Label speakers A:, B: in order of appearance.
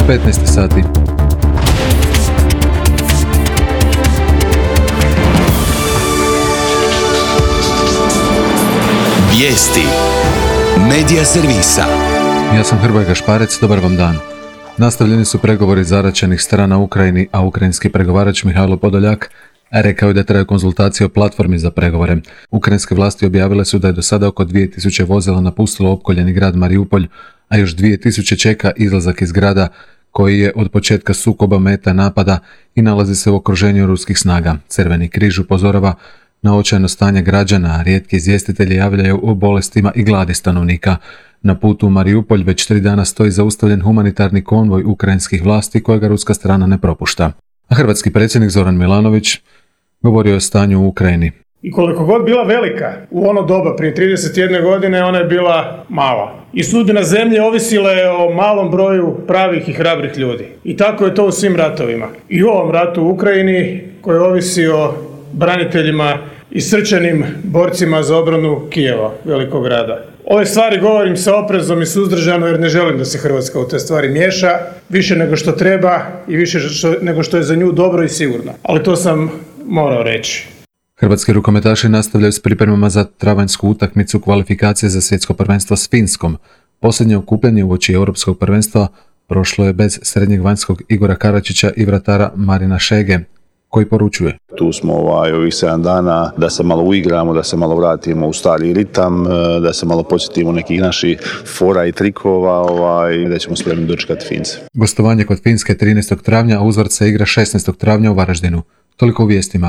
A: 15 sati.
B: Vijesti Medija servisa.
A: Ja sam Hrvoje Gašparec, dobar vam dan. Nastavljeni su pregovori zaraćenih strana Ukrajini, a ukrajinski pregovarač Mihajlo Podoljak rekao je da traju konzultacije o platformi za pregovore. Ukrajinske vlasti objavile su da je do sada oko 2000 vozila napustilo opkoljeni grad Mariupolj, a još 2000 čeka izlazak iz grada koji je od početka sukoba meta napada i nalazi se u okruženju ruskih snaga. Crveni križ upozorava na očajno stanje građana, a rijetki izvjestitelji javljaju o bolestima i gladi stanovnika. Na putu u Mariupolj već 3 dana stoji zaustavljen humanitarni konvoj ukrajinskih vlasti kojega ruska strana ne propušta. A hrvatski predsjednik Zoran Milanović govorio je o stanju u Ukrajini.
C: I koliko god bila velika, u ono doba prije 31 godine ona je bila mala. I sudbina zemlje ovisila je o malom broju pravih i hrabrih ljudi. I tako je to u svim ratovima. I u ovom ratu u Ukrajini koji ovisi o braniteljima i srčanim borcima za obranu Kijeva, velikog grada. Ove stvari govorim sa oprezom i suzdržano jer ne želim da se Hrvatska u te stvari miješa, više nego što treba i više nego što je za nju dobro i sigurno. Ali to sam morao reći.
A: Hrvatski rukometaši nastavljaju s pripremama za travanjsku utakmicu kvalifikacije za svjetsko prvenstvo s Finskom. Posljednje okupljanje uoči europskog prvenstva prošlo je bez srednjeg vanjskog Igora Karačića i vratara Marina Šege, koji poručuje.
D: Tu smo ovih 7 dana da se malo uigramo, da se malo vratimo u stari ritam, da se malo podsjetimo nekih naših fora i trikova i da ćemo spremni dočekati Fince.
A: Gostovanje kod Finske 13. travnja, a uzvrat se igra 16. travnja u Varaždinu. Toliko u vijestima.